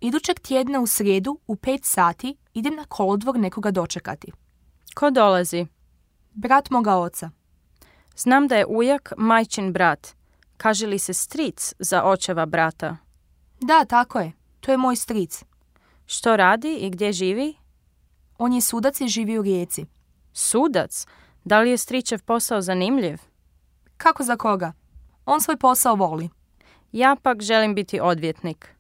Idućeg tjedna u srijedu u 5 sati idem na kolodvor nekoga dočekati. Ko dolazi? Brat moga oca. Znam da je ujak majčin brat. Kaže li se stric za očeva brata? Da, tako je. To je moj stric. Što radi i gdje živi? On je sudac i živi u Rijeci. Sudac? Da li je stričev posao zanimljiv? Kako za koga? On svoj posao voli. Ja pak želim biti odvjetnik.